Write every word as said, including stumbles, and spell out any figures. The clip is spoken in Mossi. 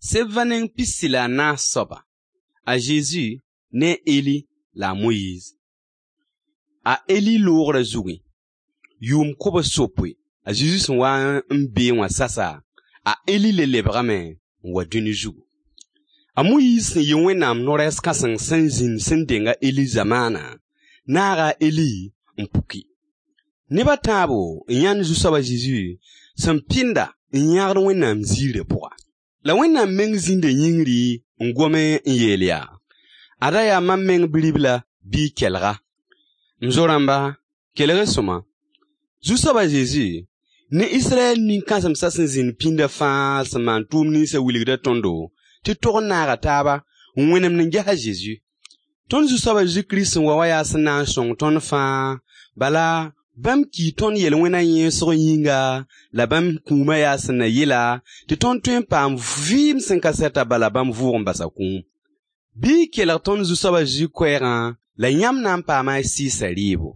Sebva neng pisi la a naas soaba, a Zezi ne a Eli la a Moyiiz. A Eli loogrã zugẽ, yʋʋm kobs-yopoe, a Zezi sẽn waa n beẽ wã sasa, a Eli le lebgame n wa dũni zugu. A Moyiiz sẽn yɩ Wẽnnaam no-rɛɛs kãseng sẽn zĩnd sẽn deng a Eli zamaanã, naaga a Eli n puki. Neb a tãabo n yãnd Zu-soab a Zezi sẽn pɩnda n yãgd Wẽnnaam ziirã pʋga. La Wẽnnaam meng zĩnda yĩngri n gome n yeel yaa: Ada yaa mam meng Bi-ribla, bɩ y kelg-a. M zo-rãmba, kelg-y sõma. Zu-soab a Zezi ne Israyɛl nin-kãsemsã sẽn zĩnd pĩndã fãa sẽn maan tʋʋm ninsã wilgda tõndo tɩ tog n naaga taaba n wẽnemd n ges a Zezi. Tõnd Zu-soab a Zezi Kirist sẽn wa wã yaa sẽn na n sõng tõnd fãa, bala bãmb kii tõnd yel-wẽnã yẽesg yĩnga, la bãmb kũumã yaa sẽn na yɩla tɩ tõnd tõe n paam vɩɩm sẽn ka sɛta bala bãmb vʋʋg n basa kũum. Bɩ y kelg tõnd Zu-soab a Zezi koɛɛgã la yãmb na n paama y sɩɩsã rɩɩbo.